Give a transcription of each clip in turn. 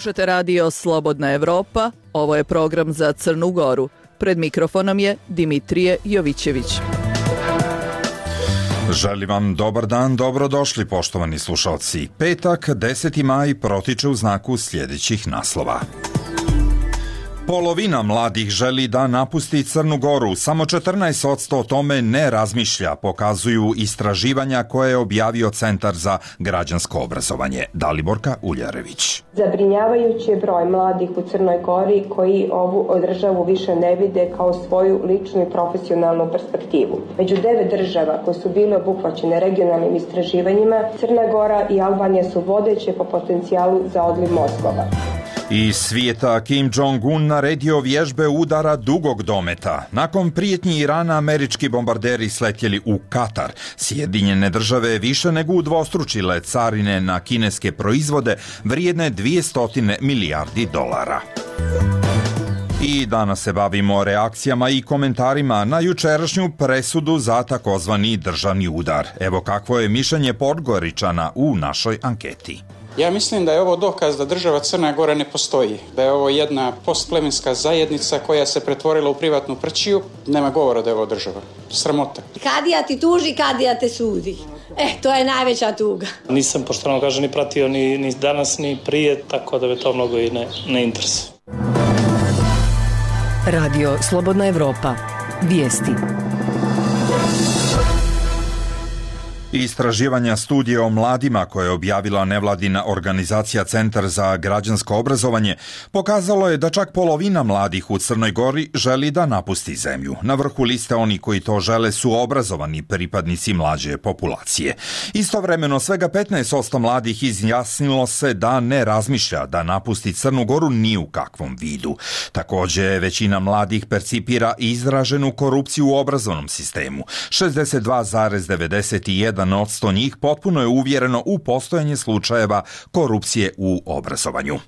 Slušate radio Slobodna Evropa, ovo je program za Crnu Goru. Pred mikrofonom je Dimitrije Jovićević. Želim vam dobar dan, dobrodošli poštovani slušalci. Petak, 10. maj, protiče u znaku sljedećih naslova. Polovina mladih želi da napusti Crnu Goru, samo 14% o tome ne razmišlja, pokazuju istraživanja koje je objavio Centar za građansko obrazovanje. Daliborka Uljarević. Zabrinjavajući je broj mladih u Crnoj Gori koji ovu državu više ne vide kao svoju ličnu i profesionalnu perspektivu. Među 9 država koje su bile obuhvaćene regionalnim istraživanjima, Crna Gora i Albanija su vodeće po potencijalu za odliv mozgova. Iz svijeta Kim Jong-un naredio vježbe udara dugog dometa. Nakon prijetnji Irana, američki bombarderi sletjeli u Katar. Sjedinjene države više nego udvostručile carine na kineske proizvode vrijedne 200 milijardi dolara. I danas se bavimo reakcijama i komentarima na jučerašnju presudu za takozvani državni udar. Evo kakvo je mišljenje Podgoričana u našoj anketi. Ja mislim da je ovo dokaz da država Crna Gora ne postoji, da je ovo jedna postplemenska zajednica koja se pretvorila u privatnu prćiju. Nema govora da je ovo država. Sramota. Kadija ti tuži, kadija te sudi. To je najveća tuga. Nisam, pošteno kažem, ni pratio ni danas, ni prije, tako da me to mnogo i ne interesuje. Radio Slobodna Evropa. Vijesti. Istraživanja studije o mladima koje je objavila nevladina organizacija Centar za građansko obrazovanje pokazalo je da čak polovina mladih u Crnoj Gori želi da napusti zemlju. Na vrhu liste oni koji to žele su obrazovani pripadnici mlađe populacije. Istovremeno svega 15% mladih izjasnilo se da ne razmišlja da napusti Crnu Goru ni u kakvom vidu. Također većina mladih percipira izraženu korupciju u obrazovnom sistemu. 62,91% njih potpuno je uvjereno u postojanje slučajeva korupcije u obrazovanju.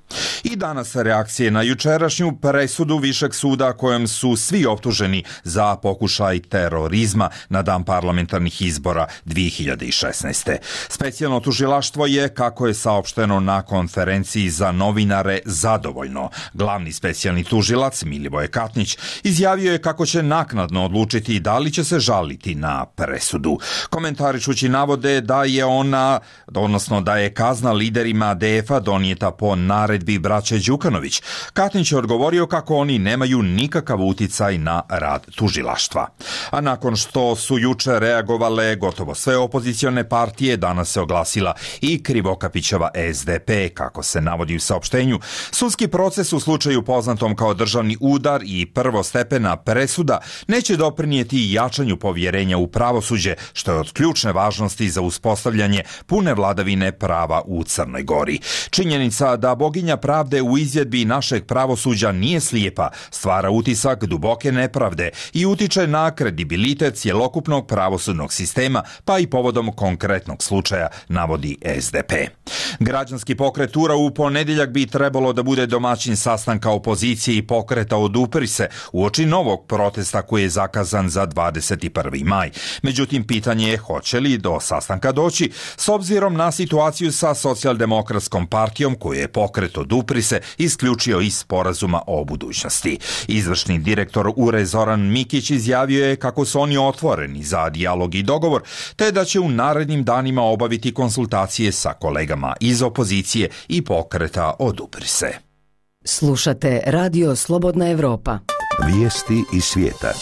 I danas reakcije na jučerašnju presudu Višeg suda kojom su svi optuženi za pokušaj terorizma na dan parlamentarnih izbora 2016. Specijalno tužilaštvo je, kako je saopšteno na konferenciji za novinare, zadovoljno. Glavni specijalni tužilac Milivoje Katnić izjavio je kako će naknadno odlučiti da li će se žaliti na presudu. Komentarišući navode da je kazna liderima ADF-a donijeta po naredbi braće Đukanović. Katnić je odgovorio kako oni nemaju nikakav uticaj na rad tužilaštva. A nakon što su juče reagovale gotovo sve opozicione partije, danas se oglasila i Krivokapićeva SDP, kako se navodi u saopštenju. Sudski proces u slučaju poznatom kao državni udar i prvostepena presuda neće doprinijeti jačanju povjerenja u pravosuđe, što je od ključne važnosti za uspostavljanje pune vladavine prava u Crnoj Gori. Činjenica da boginja pravde u izvedbi našeg pravosuđa nije slijepa stvara utisak duboke nepravde i utiče na kredibilitet cjelokupnog pravosudnog sistema, pa i povodom konkretnog slučaja, navodi SDP. Građanski pokret URA u ponedjeljak bi trebalo da bude domaćin sastanka opozicije i pokreta Odupri se uoči novog protesta koji je zakazan za 21. maj. Međutim, pitanje je hoće li do sastanka doći s obzirom na situaciju sa Socijaldemokratskom partijom koju je pokret Odupri se isključio iz sporazuma o budućnosti. Izvršni direktor URE Zoran Mikić izjavio je kako su oni otvoreni za dijalog i dogovor, te da će u narednim danima obaviti konsultacije sa kolegama iz opozicije i pokreta Odupri se. Slušate Radio Slobodna Evropa. Vijesti iz svijeta.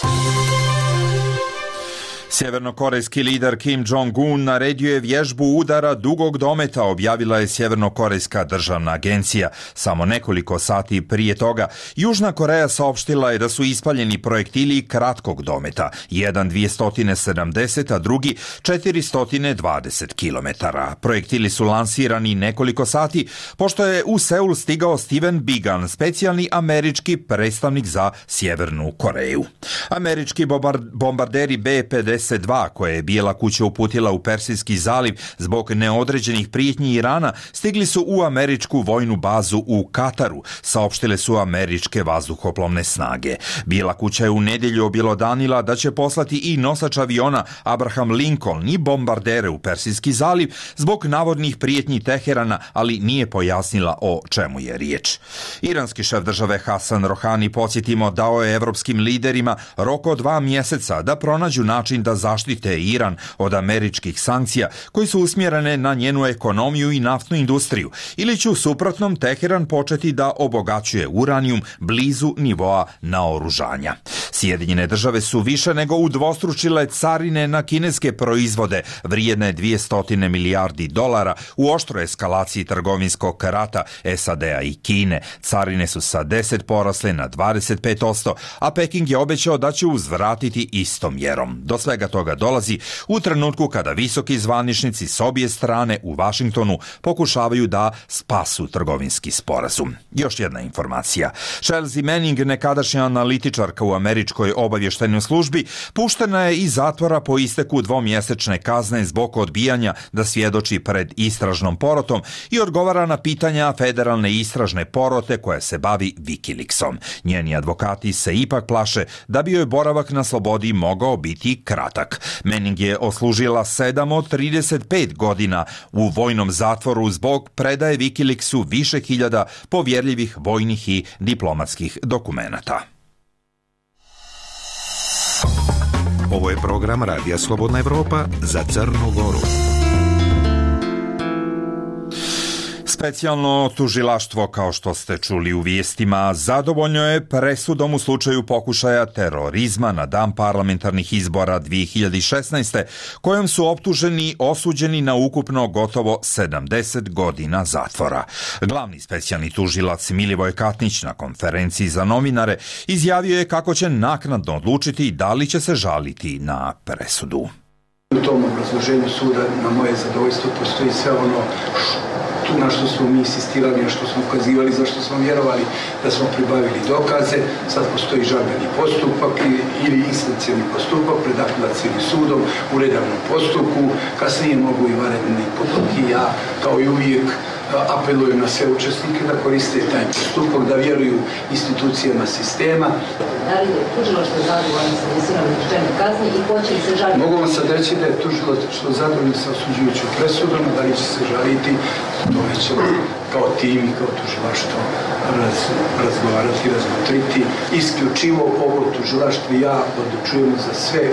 Sjevernokorejski lider Kim Jong-un naredio je vježbu udara dugog dometa, objavila je Sjevernokorejska državna agencija. Samo nekoliko sati prije toga Južna Koreja saopštila je da su ispaljeni projektili kratkog dometa, jedan 270, a drugi 420 km. Projektili su lansirani nekoliko sati pošto je u Seul stigao Steven Biegun, specijalni američki predstavnik za Sjevernu Koreju. Američki bombarderi B-50 MH-52 koje je Bijela kuća uputila u Persijski zaliv zbog neodređenih prijetnji Irana stigli su u američku vojnu bazu u Kataru, saopštile su američke vazduhoplovne snage. Bijela kuća je u nedjelju objelodanila da će poslati i nosač aviona Abraham Lincoln i bombardere u Persijski zaliv zbog navodnih prijetnji Teherana, ali nije pojasnila o čemu je riječ. Iranski šef države Hasan Rohani, podsjetimo, dao je evropskim liderima rok od 2 mjeseca da pronađu način da zaštite Iran od američkih sankcija koji su usmjerene na njenu ekonomiju i naftnu industriju, ili će u suprotnom Teheran početi da obogaćuje uranijum blizu nivoa naoružanja. Sjedinjene države su više nego udvostručile carine na kineske proizvode vrijedne $200 milijardi u oštroj eskalaciji trgovinskog rata SAD-a i Kine. Carine su sa 10 porasle na 25%, a Peking je obećao da će uzvratiti istom mjerom. Do svega toga dolazi u trenutku kada visoki zvaničnici s obje strane u Vašingtonu pokušavaju da spasu trgovinski sporazum. Još jedna informacija. Chelsea Manning, nekadašnja analitičarka u američkoj obavještajnoj službi, puštena je iz zatvora po isteku 2-mjesečne kazne zbog odbijanja da svjedoči pred istražnom porotom i odgovara na pitanja federalne istražne porote koja se bavi Wikileaksom. Njeni advokati se ipak plaše da bi joj boravak na slobodi mogao biti kratak. Manning je odslužila 7 od 35 godina u vojnom zatvoru zbog predaje Wikileaksu više hiljada povjerljivih vojnih i diplomatskih dokumenata. Ovo je program Radija Slobodna Evropa za Crnu Goru. Specijalno tužilaštvo, kao što ste čuli u vijestima, zadovoljno je presudom u slučaju pokušaja terorizma na dan parlamentarnih izbora 2016. kojom su optuženi osuđeni na ukupno gotovo 70 godina zatvora. Glavni specijalni tužilac Milivoj Katnić na konferenciji za novinare izjavio je kako će naknadno odlučiti da li će se žaliti na presudu. U tom obrazloženju suda na moje zadovoljstvo postoji sve ono na što smo mi insistirali, na što smo ukazivali, za što smo vjerovali da smo pribavili dokaze. Sad postoji žalbeni postupak ili instancioni postupak pred apelacijskim sudom u redovnom postupku. Kasnije mogu i vanredni postupci. Ja, kao i uvijek, apelujem na sve učesnike da koriste taj postupak, da vjeruju institucijama sistema. Da li je tužilaštvo zadovoljno sa visinom izrečene kazne i hoće li se žaliti? Mogu vam sad reći da je tužilaštvo zadovoljno sa osuđujućom presudom, da li će se žaliti, to ćemo kao tim i kao tužilaštvo razgovarati, razmotriti. Isključivo ovo tužilaštvo i ja odlučujemo za sve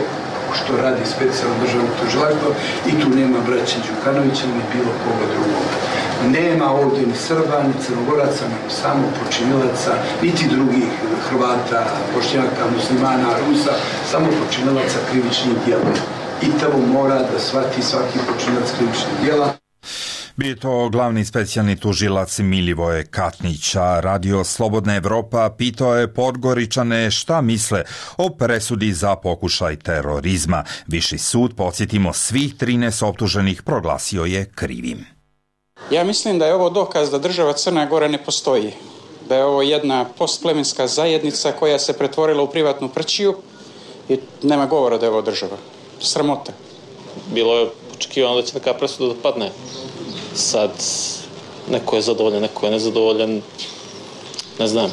što radi specijalno državno tužilaštvo i tu nema braće Đukanovića ni bilo koga drugog. Nema ovdje ni Srba, ni Crnogoraca, nego samo počinilaca, niti drugih Hrvata, Bošnjaka, Muslimana, Rusa, samo počinilaca krivičnih djela. I to mora da shvati svaki počinilac krivičnih djela. Bio to glavni specijalni tužilac Milivoje Katnića. Radio Slobodna Evropa pitao je Podgoričane šta misle o presudi za pokušaj terorizma. Viši sud, podsjetimo, svih 13 optuženih proglasio je krivim. Ja mislim da je ovo dokaz da država Crna Gora ne postoji. Da je ovo jedna postplemenska zajednica koja se pretvorila u privatnu prćiju i nema govora da je ovo država. Sramota. Bilo je očekivano da će taka presuda da padne. Sad, neko je zadovoljan, neko je nezadovoljan. Ne znam.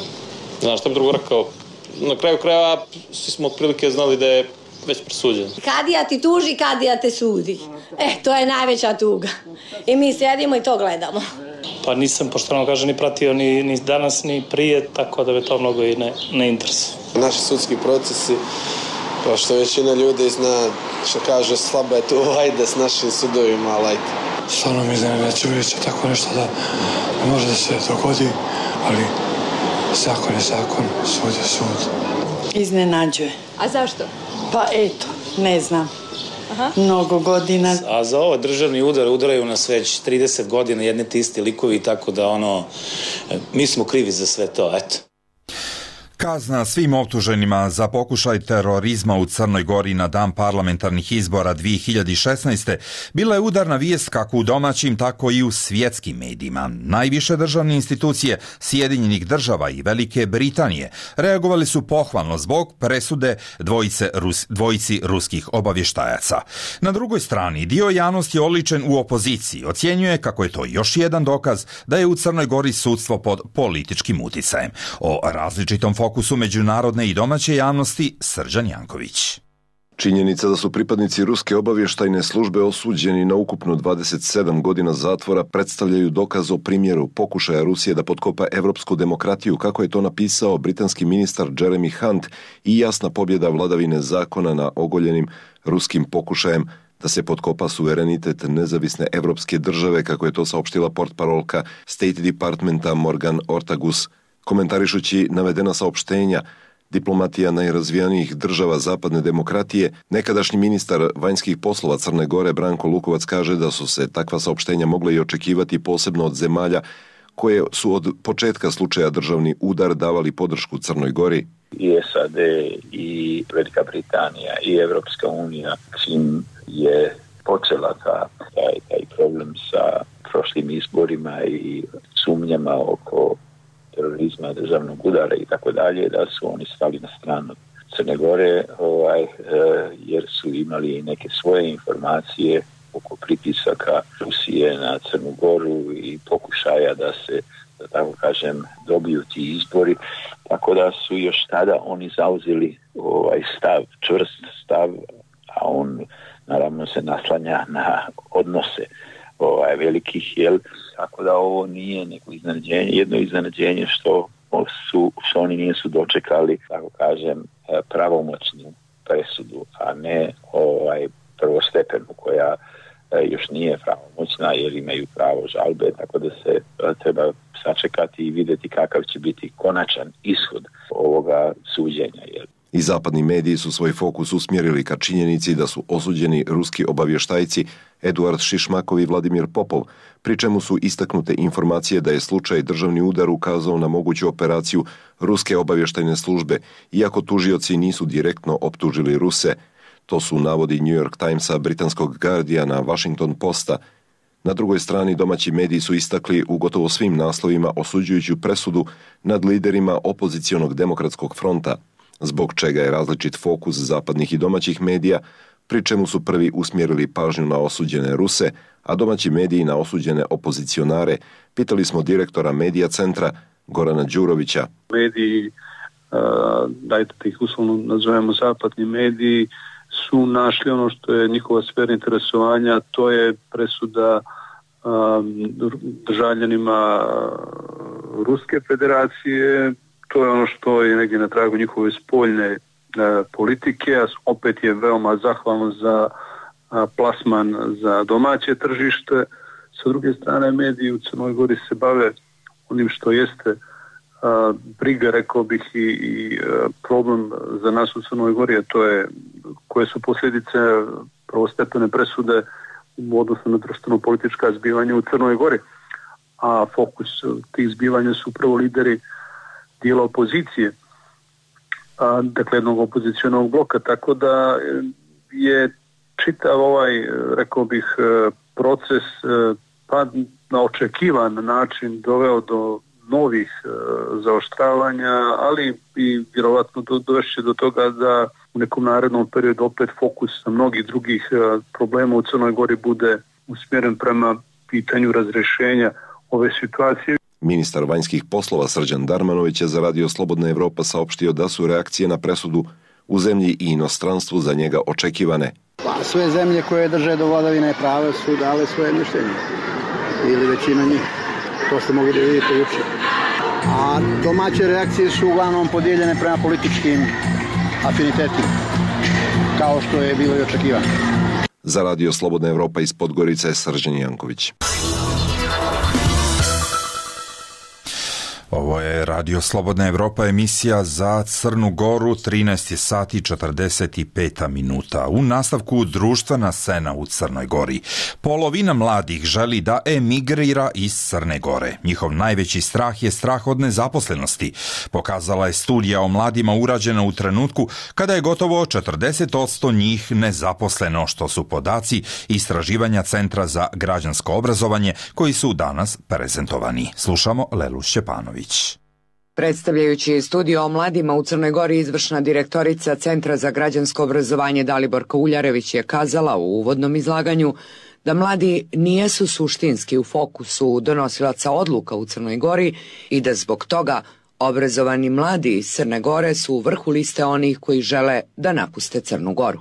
Znam šta bi drugo rekao. Na kraju krajeva svi smo otprilike znali da je već presuđen. Kadija ti tuži, kadija te sudi. To je najveća tuga. I mi sjedimo i to gledamo. Pa nisam, pošteno kažem, ni pratio ni danas, ni prije, tako da me to mnogo i ne interesuje. Naši sudski procesi, kao što većina ljudi zna, što kaže, slaba je tu vajda s našim sudovima, lajte. Stvarno mi iznenađujuće tako nešto da može da se dogodi, ali zakon je zakon, sud je sud. Iznenađuje. A zašto? Pa eto, ne znam. Mnogo godina. A za ovo državni udar udaraju nas već 30 godina jedni te isti likovi, tako da mi smo krivi za sve to, eto. Kazna svim optuženima za pokušaj terorizma u Crnoj Gori na dan parlamentarnih izbora 2016. bila je udarna vijest kako u domaćim, tako i u svjetskim medijima. Najviše državne institucije Sjedinjenih država i Velike Britanije reagovali su pohvalno zbog presude dvojici ruskih obavještajaca. Na drugoj strani, dio javnosti oličen u opoziciji ocjenjuje kako je to još jedan dokaz da je u Crnoj Gori sudstvo pod političkim uticajem. O različitom fokusu međunarodne i domaće javnosti Srđan Janković. Činjenica da su pripadnici ruske obavještajne službe osuđeni na ukupno 27 godina zatvora predstavljaju dokaz o primjeru pokušaja Rusije da potkopa evropsku demokratiju, kako je to napisao britanski ministar Jeremy Hunt, i jasna pobjeda vladavine zakona na ogoljenim ruskim pokušajem da se potkopa suverenitet nezavisne evropske države, kako je to saopštila portparolka State Departmenta Morgan Ortagus. Komentarišući navedena saopštenja, diplomatija najrazvijanijih država zapadne demokratije, nekadašnji ministar vanjskih poslova Crne Gore Branko Lukovac kaže da su se takva saopštenja mogle i očekivati posebno od zemalja koje su od početka slučaja državni udar davali podršku Crnoj Gori. I SAD, i Velika Britanija, i Evropska unija, čim je počela taj problem sa prošlim izborima i sumnjama oko terorizma, državnog udara i tako dalje, da su oni stali na stranu Crne Gore, jer su imali neke svoje informacije oko pritisaka Rusije na Crnu Goru i pokušaja da se, da tako kažem, dobiju ti izbori, tako da su još tada oni zauzeli stav, čvrst stav, a on naravno se naslanja na odnose velikih, tako da ovo nije neko iznenađenje, jedno iznenađenje što oni nisu dočekali, tako kažem, pravomoćnu presudu, a ne prvostepenu koja još nije pravomoćna jer imaju pravo žalbe, tako da se treba sačekati i vidjeti kakav će biti konačan ishod ovoga suđenja. I zapadni mediji su svoj fokus usmjerili ka činjenici da su osuđeni ruski obavještajci Eduard Šišmakov i Vladimir Popov, pri čemu su istaknute informacije da je slučaj državni udar ukazao na moguću operaciju ruske obavještajne službe, iako tužioci nisu direktno optužili Ruse. To su navodi New York Timesa, britanskog Guardiana, Washington Posta. Na drugoj strani domaći mediji su istakli u gotovo svim naslovima osuđujuću presudu nad liderima opozicionog demokratskog fronta, zbog čega je različit fokus zapadnih i domaćih medija, pri čemu su prvi usmjerili pažnju na osuđene Ruse, a domaći mediji na osuđene opozicionare. Pitali smo direktora Medija centra Gorana Đurovića. Mediji, dajte da ih uslovno nazovemo zapadni mediji, su našli ono što je njihova sfera interesovanja, to je presuda državljanima Ruske federacije. To je ono što je negdje na tragu njihove spoljne politike, a opet je veoma zahvalno za plasman za domaće tržište. Sa druge strane, mediji u Crnoj Gori se bave onim što jeste briga, rekao bih, i problem za nas u Crnoj Gori, a to je koje su posljedice prvostepene presude u odnosu na društveno-politička zbivanja u Crnoj Gori. A fokus tih zbivanja su prvo lideri dijela opozicije, dakle jednog opozicionog bloka, tako da je čitav rekao bih, proces pa na očekivan način doveo do novih zaoštravanja, ali i vjerovatno dovešće do toga da u nekom narednom periodu opet fokus na mnogih drugih problema u Crnoj Gori bude usmjeren prema pitanju razrješenja ove situacije. Ministar vanjskih poslova Srđan Darmanović je za Radio Slobodna Evropa saopštio da su reakcije na presudu u zemlji i inostranstvu za njega očekivane. Sve zemlje koje drže do vladavine prava su dale svoje mišljenje, ili većina njih. To ste mogli da vidite jučer. A domaće reakcije su uglavnom podijeljene prema političkim afinitetima, kao što je bilo i očekivano. Za Radio Slobodna Evropa iz Podgorice je Srđan Janković. Ovo je Radio Slobodna Evropa, emisija za Crnu Goru, 13 sati 45 minuta. U nastavku društvena scena u Crnoj Gori. Polovina mladih želi da emigrira iz Crne Gore. Njihov najveći strah je strah od nezaposlenosti. Pokazala je studija o mladima urađena u trenutku kada je gotovo 40% njih nezaposleno, što su podaci istraživanja Centra za građansko obrazovanje koji su danas prezentovani. Slušamo Lelu Šćepanović. Predstavljajući studio o mladima u Crnoj Gori, izvršna direktorica Centra za građansko obrazovanje Daliborka Uljarević je kazala u uvodnom izlaganju da mladi nijesu suštinski u fokusu donosilaca odluka u Crnoj Gori i da zbog toga obrazovani mladi iz Crne Gore su u vrhu liste onih koji žele da napuste Crnu Goru.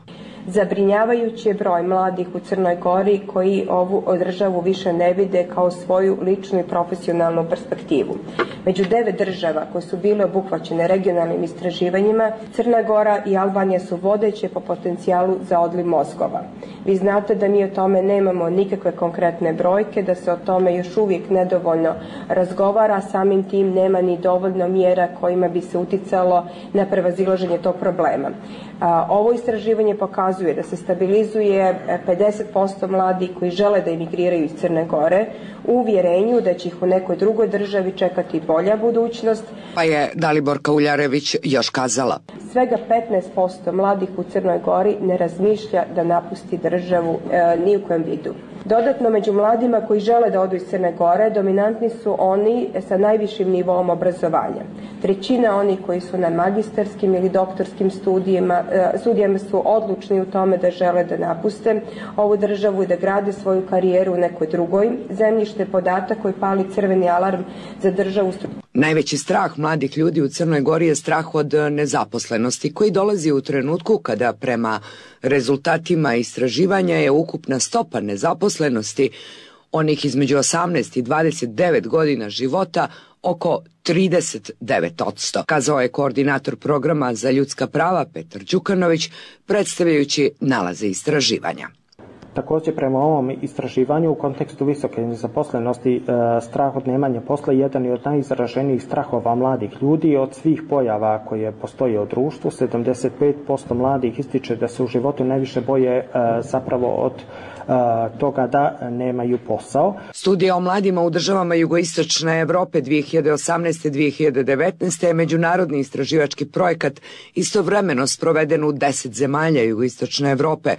Zabrinjavajući je broj mladih u Crnoj Gori koji ovu državu više ne vide kao svoju ličnu i profesionalnu perspektivu. Među 9 država koje su bile obuhvaćene regionalnim istraživanjima, Crna Gora i Albanija su vodeće po potencijalu za odliv mozgova. Vi znate da mi o tome nemamo nikakve konkretne brojke, da se o tome još uvijek nedovoljno razgovara, samim tim nema ni dovoljno mjera kojima bi se uticalo na prevazilaženje tog problema. Ovo istraživanje pokazuje da se stabilizuje 50% mladih koji žele da emigriraju iz Crne Gore u uvjerenju da će ih u nekoj drugoj državi čekati bolja budućnost. Pa je Daliborka Uljarević još kazala. Svega 15% mladih u Crnoj Gori ne razmišlja da napusti državu ni u kojem vidu. Dodatno, među mladima koji žele da odu iz Crne Gore, dominantni su oni sa najvišim nivoom obrazovanja. Trećina onih koji su na magisterskim ili doktorskim studijama su odlučni u tome da žele da napuste ovu državu i da grade svoju karijeru u nekoj drugoj zemlji, što je podatak koji pali crveni alarm za državu. Najveći strah mladih ljudi u Crnoj Gori je strah od nezaposlenosti koji dolazi u trenutku kada prema rezultatima istraživanja je ukupna stopa nezaposlenosti onih između 18 i 29 godina života oko 39%, kazao je koordinator programa za ljudska prava Petar Đukanović, predstavljajući nalaze istraživanja. Također, prema ovom istraživanju u kontekstu visoke nezaposlenosti, strah od nemanja posla je jedan od najizraženijih strahova mladih ljudi. Od svih pojava koje postoje u društvu, 75% mladih ističe da se u životu najviše boje zapravo od toga da nemaju posao. Studija o mladima u državama jugoistočne Evrope 2018-2019 je međunarodni istraživački projekat istovremeno sproveden u 10 zemalja jugoistočne Evrope.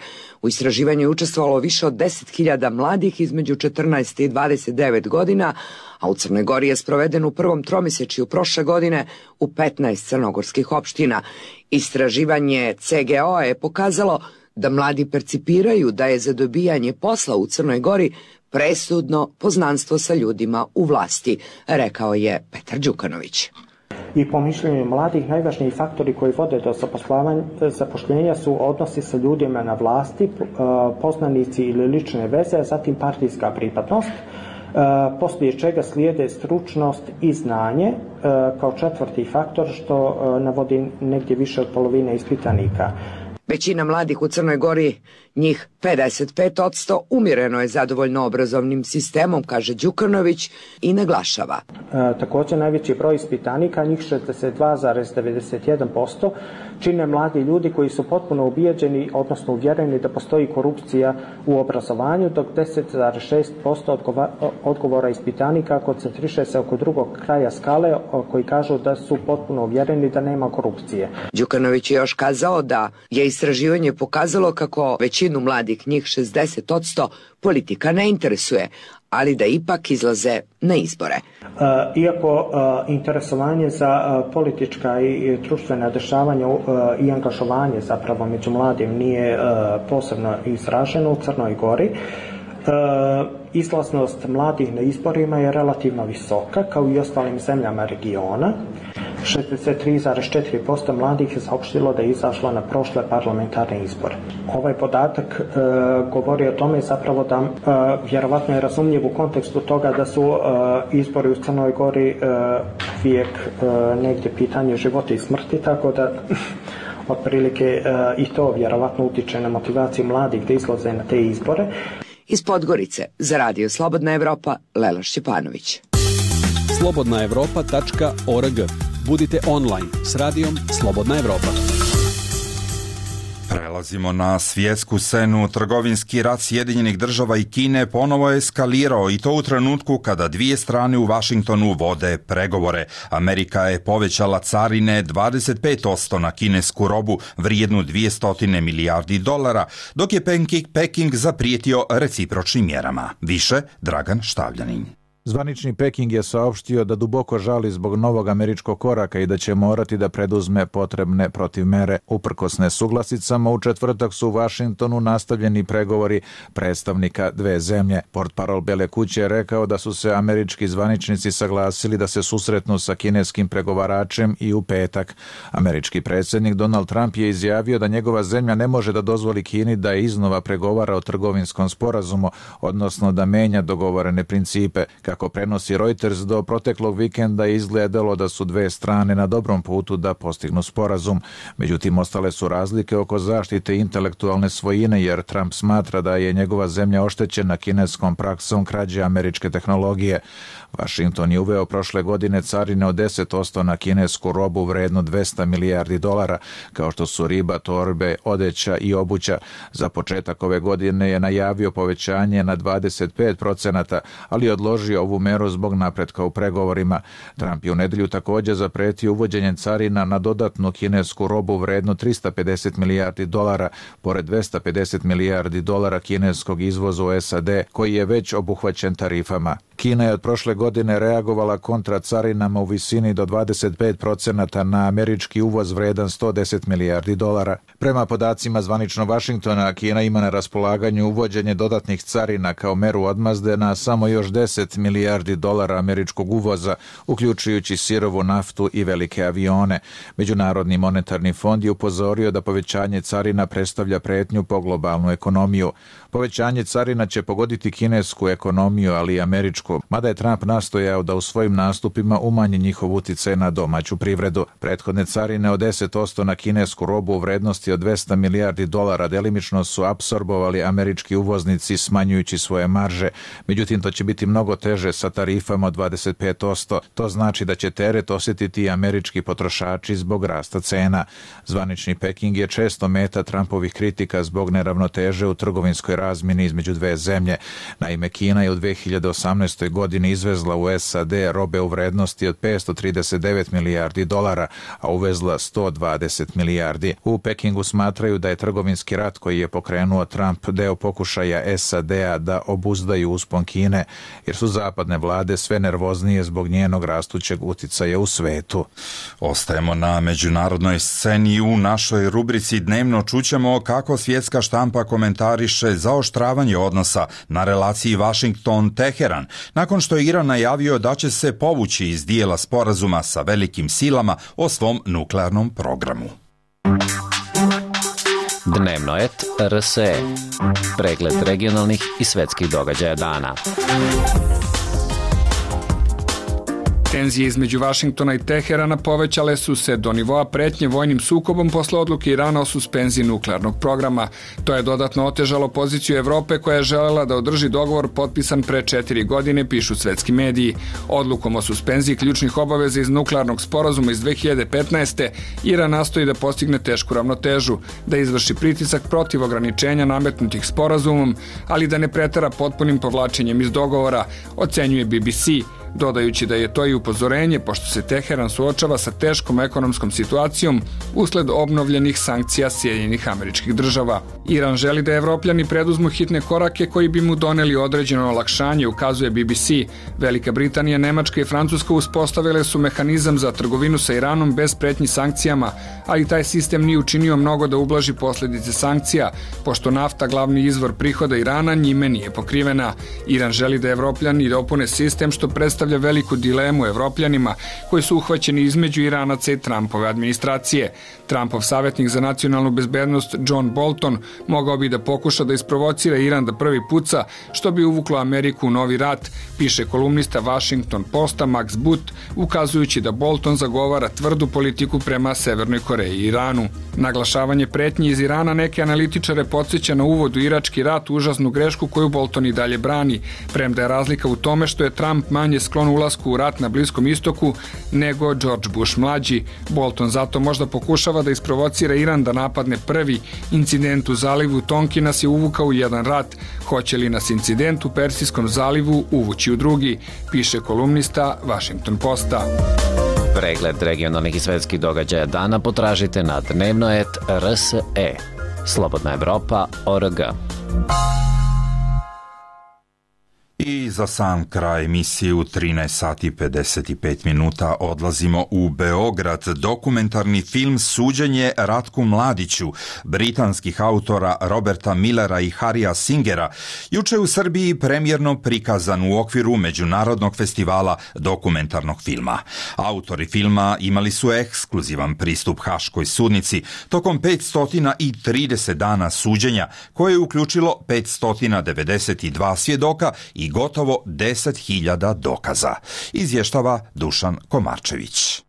U istraživanju je učestvovalo više od 10.000 mladih između 14 i 29 godina, a u Crnoj Gori je sproveden u prvom tromjesečju prošle godine u 15 crnogorskih opština. Istraživanje CGO je pokazalo da mladi percipiraju da je za dobijanje posla u Crnoj Gori presudno poznanstvo sa ljudima u vlasti, rekao je Petar Đukanović. I po mišljenju mladih najvažniji faktori koji vode do zapošljenja su odnosi sa ljudima na vlasti, poznanici ili lične veze, zatim partijska pripadnost, poslije čega slijede stručnost i znanje kao četvrti faktor, što navodi negdje više od polovine ispitanika. Većina mladih u Crnoj Gori, njih 55%, umjereno je zadovoljno obrazovnim sistemom, kaže Đukanović i naglašava. Također najveći broj ispitanika, njih 62,91%, čine mladi ljudi koji su potpuno ubijeđeni, odnosno uvjereni da postoji korupcija u obrazovanju, dok 10,6% odgovora ispitanika koncentriše se oko drugog kraja skale, koji kažu da su potpuno uvjereni da nema korupcije. Đukanović je još kazao da je istraživanje pokazalo kako većinu mladih, njih 60%, politika ne interesuje, ali da ipak izlaze na izbore. Iako interesovanje za politička i društvena dešavanja i angažovanje zapravo među mladim nije posebno izraženo u Crnoj Gori, izlaznost mladih na izborima je relativno visoka, kao i ostalim zemljama regiona. 63,4% mladih je saopštilo da je izašlo na prošle parlamentarne izbore. Ovaj podatak govori o tome zapravo da vjerovatno je razumljiv u kontekstu toga da su izbori u Crnoj Gori uvijek negdje pitanje života i smrti, tako da otprilike i to vjerovatno utiče na motivaciju mladih da izlaze na te izbore. Iz Podgorice za Radio Slobodna Evropa, Lela Šćepanović. slobodnaevropa.org. Budite online s radijom Slobodna Evropa. Prelazimo na svjetsku scenu. Trgovinski rat Sjedinjenih država i Kine ponovo je eskalirao i to u trenutku kada dvije strane u Vašingtonu vode pregovore. Amerika je povećala carine 25% na kinesku robu vrijednu $200 milijardi, dok je Peking zaprijetio recipročnim mjerama. Više Dragan Štavljanin. Zvanični Peking je saopštio da duboko žali zbog novog američkog koraka i da će morati da preduzme potrebne protivmere. Uprkos nesuglasicama, u četvrtak su u Vašingtonu nastavljeni pregovori predstavnika dve zemlje. Portparol Bele kuće je rekao da su se američki zvaničnici saglasili da se susretnu sa kineskim pregovaračem i u petak. Američki predsjednik Donald Trump je izjavio da njegova zemlja ne može da dozvoli Kini da iznova pregovara o trgovinskom sporazumu, odnosno da menja dogovorene principe. Kako prenosi Reuters, do proteklog vikenda je izgledalo da su dve strane na dobrom putu da postignu sporazum. Međutim, ostale su razlike oko zaštite intelektualne svojine, jer Trump smatra da je njegova zemlja oštećena kineskom praksom krađe američke tehnologije. Washington je uveo prošle godine carine od 10% na kinesku robu vrednu $200 milijardi, kao što su riba, torbe, odeća i obuća. Za početak ove godine je najavio povećanje na 25%, ali odložio ovu meru zbog napretka u pregovorima. Trump je u nedelju također zapretio uvođenjem carina na dodatnu kinesku robu vrednu $350 milijardi, pored $250 milijardi kineskog izvoza u SAD, koji je već obuhvaćen tarifama. Kina je od prošle godine reagovala kontra carinama u visini do 25% na američki uvoz vredan $110 milijardi. Prema podacima zvanično Vašingtona, Kina ima na raspolaganju uvođenje dodatnih carina kao meru odmazde na samo još $10 milijardi američkog uvoza, uključujući sirovu naftu i velike avione. Međunarodni monetarni fond je upozorio da povećanje carina predstavlja pretnju po globalnu ekonomiju. Povećanje carina će pogoditi kinesku ekonomiju, ali i američku, mada je Trump nastojao da u svojim nastupima umanji njihov uticaj na domaću privredu. Prethodne carine od 10% na kinesku robu u vrednosti od $200 milijardi delimično su apsorbovali američki uvoznici smanjujući svoje marže. Međutim, to će biti mnogo teže sa tarifama od 25%. To znači da će teret osjetiti i američki potrošači zbog rasta cena. Zvanični Peking je često meta Trumpovih kritika zbog neravnoteže u trgovinskoj razmjeni između dve zemlje. Naime, Kina je u 2018. godini izvezla u SAD robe u vrednosti od $539 milijardi, a uvezla $120 milijardi. U Pekingu smatraju da je trgovinski rat koji je pokrenuo Trump deo pokušaja SAD-a da obuzdaju uspon Kine, jer su zapadne vlade sve nervoznije zbog njenog rastućeg uticaja u svetu. Ostajemo na međunarodnoj sceni. U našoj rubrici dnevno čućemo kako svjetska štampa komentariše zaoštravanje odnosa na relaciji Washington-Teheran, nakon što je Iran najavio da će se povući iz dijela sporazuma sa velikim silama o svom nuklearnom programu. Dnevno et RSE. Pregled regionalnih i svetskih događaja dana. Tenzije između Vašingtona i Teherana povećale su se do nivoa pretnje vojnim sukobom posle odluke Irana o suspenziji nuklearnog programa. To je dodatno otežalo poziciju Evrope koja je želela da održi dogovor potpisan pre 4 godine, pišu svetski mediji. Odlukom o suspenziji ključnih obaveza iz nuklearnog sporazuma iz 2015. Iran nastoji da postigne tešku ravnotežu, da izvrši pritisak protiv ograničenja nametnutih sporazumom, ali da ne pretera potpunim povlačenjem iz dogovora, ocenjuje BBC, dodajući da je to i upozorenje pošto se Teheran suočava sa teškom ekonomskom situacijom usled obnovljenih sankcija Sjedinjenih Američkih Država. Iran želi da Evropljani preduzmu hitne korake koji bi mu doneli određeno olakšanje, ukazuje BBC. Velika Britanija, Nemačka i Francuska uspostavile su mehanizam za trgovinu sa Iranom bez pretnji sankcijama, ali taj sistem nije učinio mnogo da ublaži posljedice sankcija, pošto nafta, glavni izvor prihoda Irana, njime nije pokrivena. Iran želi da Evropljani dopune sistem, što predstavlja veliku dilemu Evropljanima koji su uhvaćeni između Iranaca i Trumpove administracije. Trumpov savjetnik za nacionalnu bezbednost John Bolton mogao bi da pokuša da isprovocira Iran da prvi puca, što bi uvuklo Ameriku u novi rat, piše kolumnista Washington Posta Max Boot, ukazujući da Bolton zagovara tvrdu politiku prema Severnoj Koreji i Iranu. Naglašavanje pretnji iz Irana neke analitičare podsjeća na uvod u irački rat, užasnu grešku koju Bolton i dalje brani, premda je razlika u tome što je Trump manje sklon ulasku u rat na Bliskom istoku nego George Bush mlađi. Bolton zato možda pokušava da isprovocira Iran da napadne prvi. Incident u zalivu Tonki nas je uvukao u jedan rat. Hoće li nas incident u Persijskom zalivu uvući u drugi, piše kolumnista Washington Posta. Pregled regionalnih i svetskih događaja dana potražite na dnevnoet.rse. Slobodna Evropa.org. I za sam kraj emisije u 13 sati 55 minuta odlazimo u Beograd. Dokumentarni film Suđenje Ratku Mladiću, britanskih autora Roberta Millera i Harrya Singera, juče u Srbiji premijerno prikazan u okviru Međunarodnog festivala dokumentarnog filma. Autori filma imali su ekskluzivan pristup Haškoj sudnici tokom 530 dana suđenja, koje je uključilo 592 svjedoka i gotovo 10.000 dokaza, izvještava Dušan Komarčević.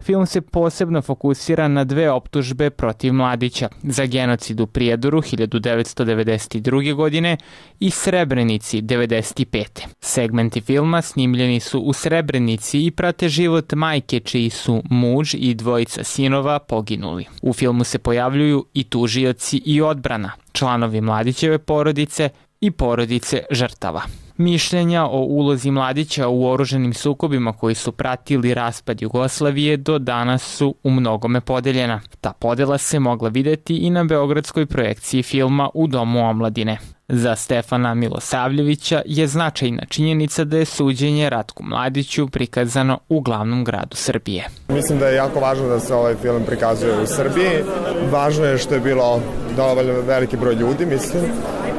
Film se posebno fokusira na dve optužbe protiv Mladića, za genocid u Prijedoru 1992. godine i Srebrenici 1995. Segmenti filma snimljeni su u Srebrenici i prate život majke čiji su muž i dvojica sinova poginuli. U filmu se pojavljuju i tužioci i odbrana, članovi Mladićeve porodice i porodice žrtava. Mišljenja o ulozi Mladića u oruženim sukobima koji su pratili raspad Jugoslavije do danas su u mnogome podeljena. Ta podela se mogla videti i na beogradskoj projekciji filma u Domu omladine. Za Stefana Milosavljevića je značajna činjenica da je suđenje Ratku Mladiću prikazano u glavnom gradu Srbije. Mislim da je jako važno da se ovaj film prikazuje u Srbiji. Važno je što je bilo dovoljno veliki broj ljudi, mislim.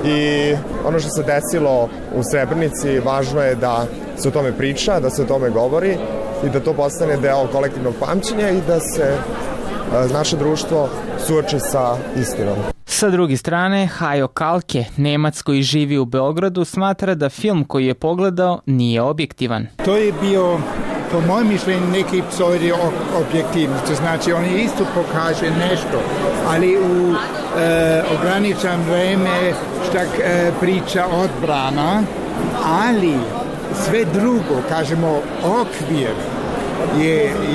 I ono što se desilo u Srebrenici, važno je da se o tome priča, da se o tome govori i da to postane deo kolektivnog pamćenja i da se naše društvo suoči sa istinom. Sa druge strane, Hajo Kalke, Nemac koji živi u Beogradu, smatra da film koji je pogledao nije objektivan. To je bio, po mojem mišljenju, neki pseudo-objektivnost. To znači, on isto pokaže nešto, ali u ograničan vreme šta priča odbrana, ali sve drugo, kažemo, okvir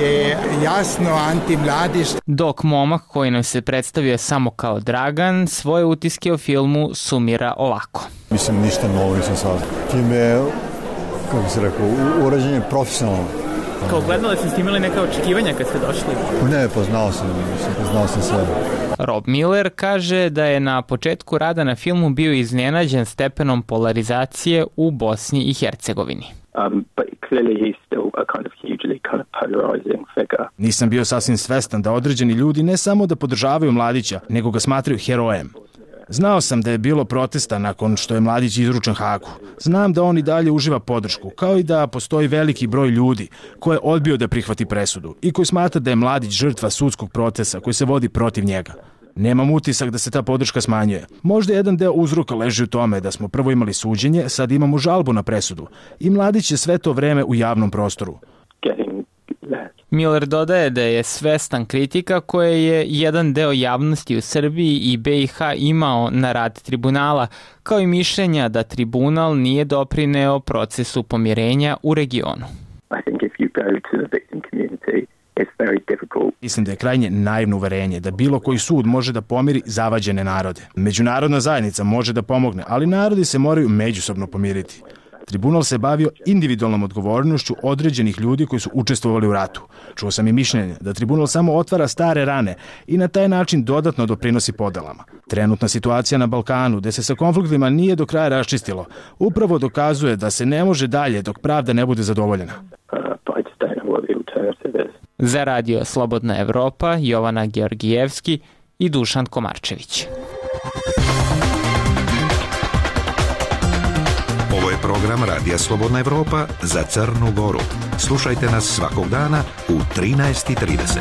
je jasno antimladišt. Dok momak koji nam se predstavio samo kao Dragan, svoje utiske o filmu sumira ovako. Mislim, ništa novo nisam saznao. Film je, kako se rekao, urađen je profesionalno. Kao gledali ste imali neka očekivanja kad ste došli? Ne, poznao sam sve. Rob Miller kaže da je na početku rada na filmu bio iznenađen stepenom polarizacije u Bosni i Hercegovini. Nisam bio sasvim svestan da određeni ljudi ne samo da podržavaju Mladića, nego ga smatraju herojem. Znao sam da je bilo protesta nakon što je Mladić izručen Hagu. Znam da on i dalje uživa podršku, kao i da postoji veliki broj ljudi koji je odbio da prihvati presudu i koji smatra da je Mladić žrtva sudskog procesa koji se vodi protiv njega. Nemam utisak da se ta podrška smanjuje. Možda jedan deo uzroka leži u tome da smo prvo imali suđenje, sad imamo žalbu na presudu i Mladić je sve to vreme u javnom prostoru. Miller dodaje da je svestan kritika koje je jedan deo javnosti u Srbiji i BiH imao na rad tribunala, kao i mišljenja da tribunal nije doprineo procesu pomirenja u regionu. Mislim da je krajnje naivno uverenje da bilo koji sud može da pomiri zavađene narode. Međunarodna zajednica može da pomogne, ali narodi se moraju međusobno pomiriti. Tribunal se bavio individualnom odgovornošću određenih ljudi koji su učestvovali u ratu. Čuo sam i mišljenje da tribunal samo otvara stare rane i na taj način dodatno doprinosi podelama. Trenutna situacija na Balkanu, gde se sa konfliktima nije do kraja raščistilo, upravo dokazuje da se ne može dalje dok pravda ne bude zadovoljena. Za radio Slobodna Evropa, Jovana Georgijevski i Dušan Komarčević. Ovo je program Radija Slobodna Evropa za Crnu Goru. Slušajte nas svakog dana u 13:30.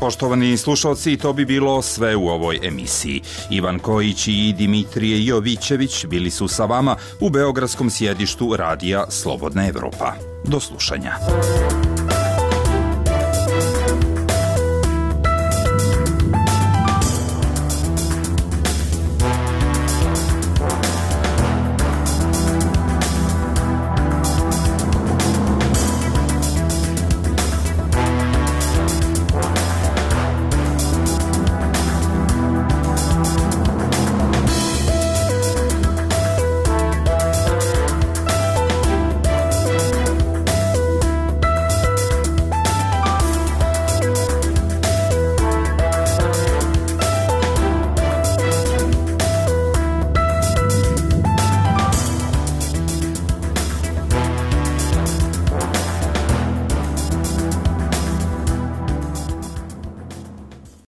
poštovani slušalci, to bi bilo sve u ovoj emisiji. Ivan Kojić i Dimitrije Jovićević bili su sa vama u beogradskom sjedištu radija Slobodna Evropa. Do slušanja.